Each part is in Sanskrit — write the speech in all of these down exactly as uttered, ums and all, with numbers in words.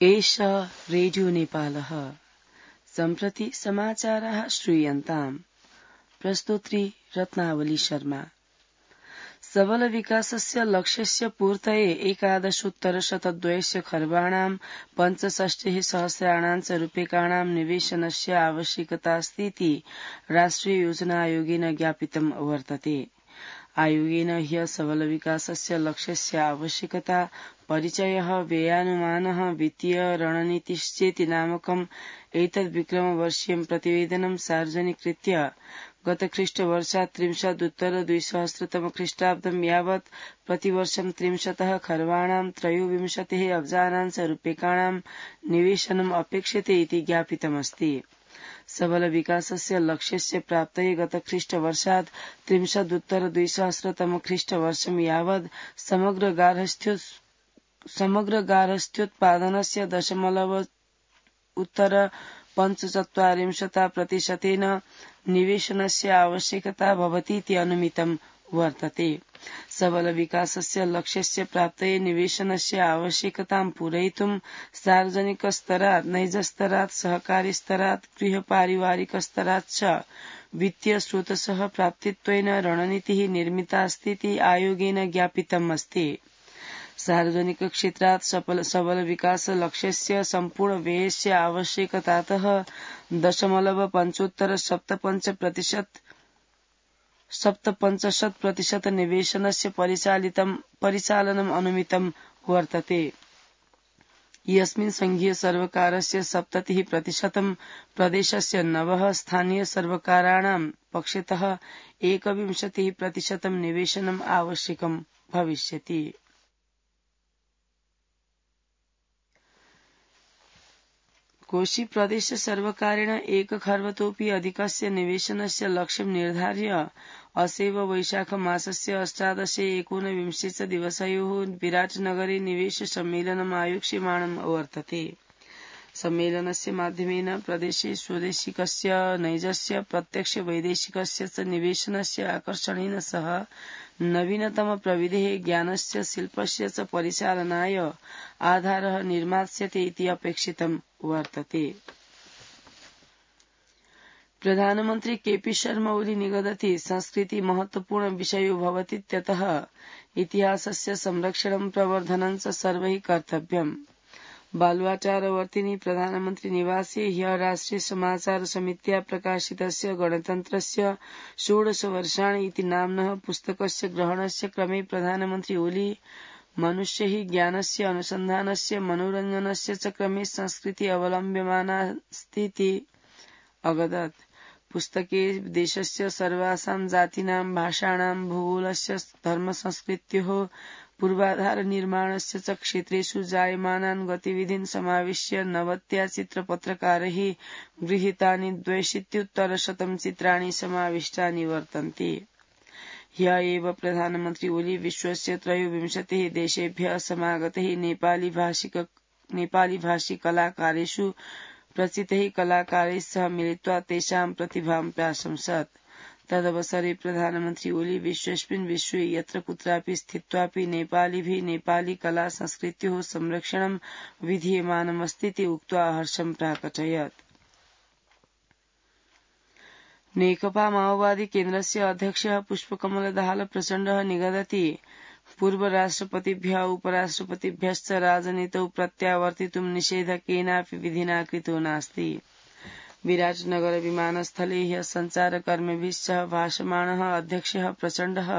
एष रेडियो नेपालः सम्प्रति समाचाराः श्रूयन्ताम्। प्रस्तोत्री रत्नावली शर्मा। सबल विकासस्य लक्ष्यस्य पूर्तये एकादशोत्तरशतद्वयस्य खर्वाणां पञ्चषष्टिः सहस्राणां च रूप्यकाणां निवेशनस्य आवश्यकतास्तीति राष्ट्रिय योजना आयोगेन ज्ञापितं वर्तते। आयोगेन ह्य सबल विकासस्य लक्ष्यस्य आवश्यकता परिचयः व्ययानुमानः वित्तीय रणनीतिश्चेति नामकम् एतद् विक्रमवर्षीयं प्रतिवेदनं सार्वजनिकृत्य गतख्रीष्टवर्षात् त्रिंशदुत्तर द्विसहस्रतम ख्रीष्टाब्दं यावत् प्रतिवर्षं त्रिंशतः खर्वाणां त्रयोविंशतिः अब्जानां च रूप्यकाणां निवेशनम् अपेक्षते इति ज्ञापितमस्ति। सबल विकासस्य लक्ष्यस्य प्राप्तये गतख्रीष्टवर्षात् त्रिंशदुत्तर द्विसहस्रतम ख्रीष्टवर्षं यावत् समग्र गार्हस्थ्यो समग्र गार्हस्थ्योत्पादनस्य दशमलव उत्तर पञ्चचत्वारिंशता प्रतिशतेन निवेशनस्य आवश्यकता भवतीति अनुमितं वर्तते। सबल विकासस्य लक्ष्यस्य प्राप्तये निवेशनस्य आवश्यकतां पूरयितुं सार्वजनिकस्तरात् नैजस्तरात् सहकारिस्तरात् गृहपारिवारिकस्तरात् च वित्तीय स्रोतसः प्राप्तित्वेन रणनीतिः निर्मितास्तीति आयोगेन ज्ञापितम् अस्ति। सार्वजनिक क्षेत्रात् सबल विकास लक्ष्यस्य सम्पूर्ण व्ययस्य आवश्यकतातः दशमलव पञ्चोत्तर सप्तपञ्च प्रतिशत सप्तपञ्चाशत् प्रतिशत निवेशनस्य परिचालितं परिचालनम् अनुमितं वर्तते। यस्मिन् संघीय सर्वकारस्य सप्ततिः प्रतिशतं प्रदेशस्य नवः स्थानीय सर्वकाराणां पक्षतः एकविंशतिः प्रतिशतं निवेशनम् आवश्यकं भविष्यति। कोशी प्रदेश सर्वकारेण एक खर्वतोपि अधिकस्य निवेशनस्य लक्ष्यं निर्धार्य असेव वैशाख मासस्य अष्टादशे एकोनविंशे च दिवसयोः विराटनगरे निवेश सम्मेलनम् आयोक्ष्यमाणं वर्तते। सम्मेलनस्य माध्यमेन प्रदेशे स्वदेशिकस्य नैजस्य प्रत्यक्ष वैदेशिकस्य च निवेशनस्य आकर्षणेन सह नवीनतम प्रविधेः ज्ञानस्य शिल्पस्य च परिचालनाय आधारः निर्मास्यते इति अपेक्षितं वर्तते। प्रधानमन्त्री केपी शर्मा ओली निगदति संस्कृति महत्वपूर्ण विषयो भवतीत्यतः इतिहासस्य संरक्षणं प्रवर्धनं च सर्वैः कर्तव्यम्। बालुवाचारवर्तिनी प्रधानमन्त्री निवासे ह्यः राष्ट्रिय समाचार समित्या प्रकाशितस्य गणतन्त्रस्य षोडश वर्षाणि इति नाम्नः पुस्तकस्य ग्रहणस्य क्रमे प्रधानमन्त्री ओली मनुष्यैः ज्ञानस्य अनुसन्धानस्य मनोरञ्जनस्य च क्रमे संस्कृति अवलम्ब्यमानास्तीति अवदत्। पुस्तके देशस्य सर्वासां जातीनां भाषाणां भूगोलस्य धर्मसंस्कृत्योः पूर्वाधार निर्माणस्य च क्षेत्रेषु जायमानान् गतिविधीन् समाविश्य नवत्या चित्रपत्रकारैः गृहीतानि द्वयशीत्युत्तरशतं चित्राणि समाविष्टानि वर्तन्ते। ह्यः एव प्रधानमन्त्री ओली विश्वस्य त्रयोविंशतिः देशेभ्यः समागतैः नेपाली भाषिक नेपाली भाषी कलाकारेषु प्रचितैः कलाकारैः सह मिलित्वा तेषां प्रतिभां प्राशंसत्। तदवसरे प्रधानमन्त्री ओली विश्वेऽस्मिन् विश्वे यत्र कुत्रापि स्थित्वापि नेपालिभिः नेपाली कला संस्कृत्योः संरक्षणं विधीयमानमस्तीति उक्त्वा हर्षं प्राकटयत्। नेकपा माओवादी केन्द्रस्य अध्यक्षः पुष्पकमल दाहाल प्रचण्डः निगदति पूर्व राष्ट्रपतिभ्यः उपराष्ट्रपतिभ्यश्च राजनीतौ प्रत्यावर्तितुं निषेधः केनापि विधिना कृतो नास्ति। विराटनगर विमानस्थले ह्यः सञ्चारकर्मिभिः सह भाषमाणः अध्यक्षः प्रचण्डः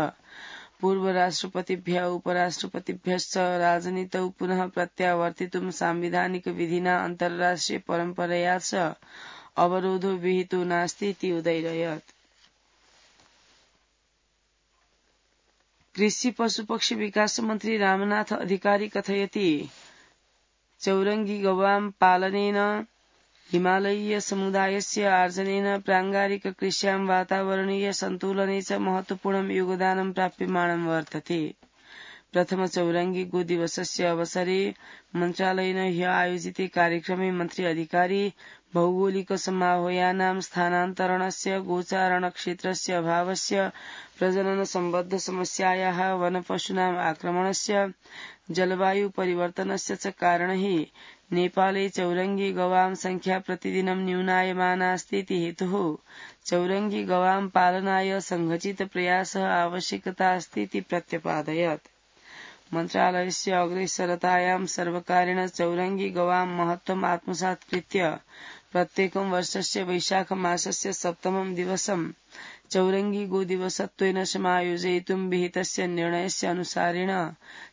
पूर्व राष्ट्रपतिभ्यः उपराष्ट्रपतिभ्यश्च राजनीतौ पुनः प्रत्यावर्तितुं सांविधानिक विधिना अन्ताराष्ट्रिय परम्परया च अवरोधो विहितो नास्ति इति उदयरयत्। कृषि पशुपक्षी विकास मन्त्री रामनाथ अधिकारी कथयति चौरंगी गवां पालनेन हिमालयीय समुदायस्य आर्जनेन प्राङ्गारिक कृष्यां वातावरणीय सन्तुलने च महत्वपूर्णं योगदानं प्राप्यमाणं वर्तते। प्रथम चौरंगी गो दिवसस्य अवसरे मन्त्रालयेन ह्यः आयोजिते कार्यक्रमे मन्त्री अधिकारी भौगोलिक समाह्वयानां स्थानान्तरणस्य गोचारणक्षेत्रस्य अभावस्य प्रजनन सम्बद्ध समस्यायाः वनपशूनाम् आक्रमणस्य जलवायु परिवर्तनस्य च कारणैः नेपाले चौरङ्गी गवां संख्या प्रतिदिनं न्यूनायमानास्ति इति हेतुः चौरङ्गी गवां पालनाय सङ्घचित प्रयासः आवश्यकता अस्ति इति प्रत्यपादयत्। मन्त्रालयस्य अग्रेसरतायां सर्वकारेण चौरङ्गी गवां महत्त्वम् आत्मसात् कृत्य प्रत्येकं वर्षस्य वैशाख मासस्य सप्तमं दिवसं चौरङ्गी गोदिवसत्वेन समायोजयितुं विहितस्य निर्णयस्य अनुसारेण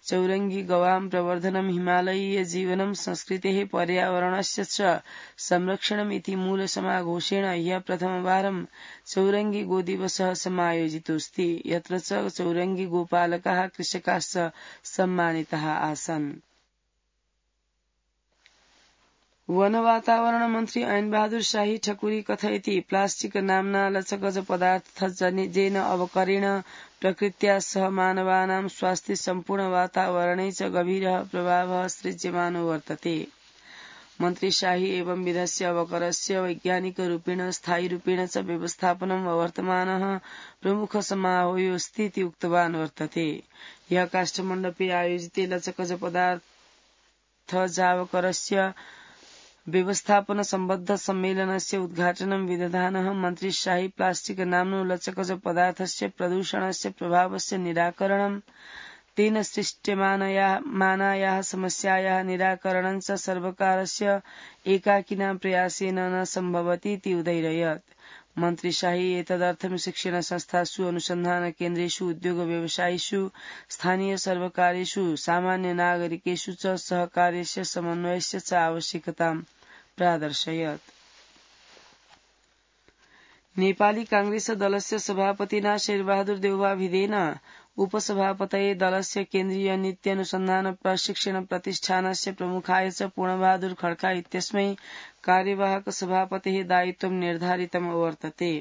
चौरङ्गी गवां प्रवर्धनं हिमालयीय जीवनं संस्कृतेः पर्यावरणस्य च संरक्षणम् इति मूलसमाघोषेण ह्यः प्रथमवारं चौरङ्गी गोदिवसः समायोजितोऽस्ति, यत्र च चौरङ्गी गोपालकाः कृषकाश्च सम्मानिताः आसन्। वन वातावरण मन्त्री ऐन बहादुर शाही ठकुरी कथयति प्लास्टिक नाम्ना लचकज पदार्थ जेन अवकरेण प्रकृत्या सह मानवानां स्वास्थ्ये सम्पूर्ण वातावरणे च गभीरः प्रभावः सृज्यमानो वर्तते। मन्त्री शाही एवं विधस्य अवकरस्य वैज्ञानिकरूपेण स्थायीरूपेण च व्यवस्थापनं वर्तमानः प्रमुख समारोहोऽस्ति इति उक्तवान् वर्तते। ह्यः काष्ठमण्डपे आयोजिते लचकज पदार्थ जावकरस्य व्यवस्थापन सम्बद्ध सम्मेलनस्य उद्घाटनं विदधानः मन्त्री शाही प्लास्टिक नाम्नो लचकज पदार्थस्य प्रदूषणस्य प्रभावस्य निराकरणं तेन सृष्ट्यमानायाः समस्यायाः निराकरणं च सर्वकारस्य एकाकिना प्रयासेन न सम्भवति इति उदैरयत्। मन्त्री शाही एतदर्थं शिक्षण संस्थासु, अनुसन्धान केन्द्रेषु, उद्योग व्यवसायेषु, स्थानीय सर्वकारेषु, सामान्य नागरिकेषु च सहकार्यस्य समन्वयस्य च आवश्यकतां प्रादर्शयत्। नेपाली कांग्रेस दलस्य सभापतिना शेरबहादुर देउवा भिदेन उपसभापतये दलस्य केन्द्रीय नीति अनुसन्धान प्रशिक्षण प्रतिष्ठानस्य प्रमुखाय च पूर्णबहादुर खड्का इत्यस्मै कार्यवाहक सभापतेः दायित्वं निर्धारितम् वर्तते।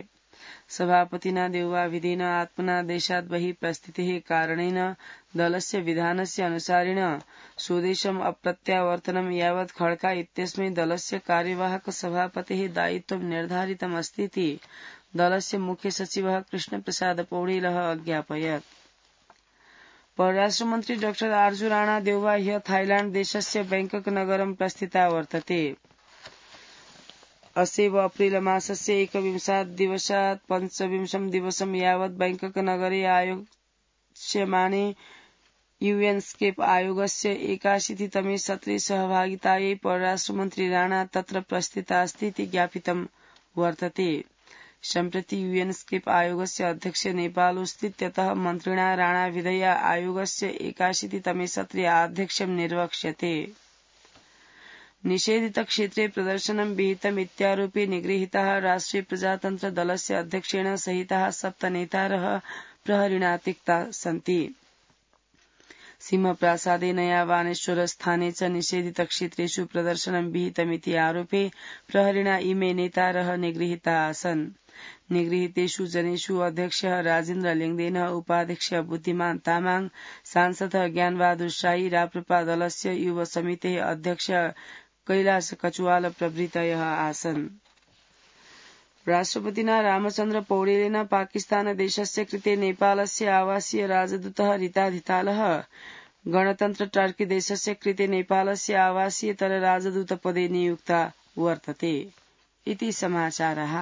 सभापतिना देउवा भिदेन आत्मना देशात् बहिः प्रस्थितेः कारणेन दलस्य विधानस्य अनुसारेण स्वदेशम् अप्रत्यावर्तनं यावत् खड्का इत्यस्मै दलस्य कार्यवाहक सभापतेः दायित्वं निर्धारितमस्ति इति दलस्य मुख्य सचिवः कृष्णप्रसाद पौडेलः अज्ञापयत्। परराष्ट्रमन्त्री डाक्टर आर्जु राणा देउवा ह्यः थाइल्याण्ड देशस्य बैंकक नगरं प्रस्थिता वर्तते। अस्यैव अप्रिल मासस्य एकविंशात् दिवसात् पञ्चविंशं दिवसं यावत् बैंकक नगरे आयोज्यमाने यूएनस्केप आयोगस्य एकाशीतितमे सत्रे सहभागितायै परराष्ट्रमन्त्री राणा तत्र प्रस्थितास्ति इति ज्ञापितं वर्तते। सम्प्रति यूएनस्केप आयोगस्य अध्यक्ष नेपालोऽस्तीत्यतः मन्त्रिणा राणा विधेया आयोगस्य एकाशीतितमे सत्रे अध्यक्षं निर्वक्ष्यते। निषेधित क्षेत्रे प्रदर्शनं विहितम् इत्यारोपे निगृहीताः राष्ट्रिय प्रजातन्त्र दलस्य अध्यक्षेण सहिताः सप्त नेतारः प्रहरिणा त्यक्ता सन्ति। सिंहप्रासादे नयावानेश्वर स्थाने च निषेधित क्षेत्रेषु प्रदर्शनं विहितमिति आरोपे प्रहरिणा इमे नेतारः निगृहीता आसन्। निगृहीतेषु जनेषु अध्यक्षः राजेन्द्र लिङ्गदेनः, उपाध्यक्ष बुद्धिमान तामाङ, सांसदः ज्ञानबहादुर शाही, राप्रपा दलस्य युव समितेः अध्यक्ष कैलाश कचुवाल प्रभृतयः आसन्। राष्ट्रपतिना रामचन्द्र पौडेलेन पाकिस्तान देशस्य कृते नेपालस्य आवासीय राजदूतः रिता धितालः गणतन्त्र टर्की देशस्य कृते नेपालस्य आवासीयतर राजदूतपदे नियुक्ता वर्तते इति समाचारः।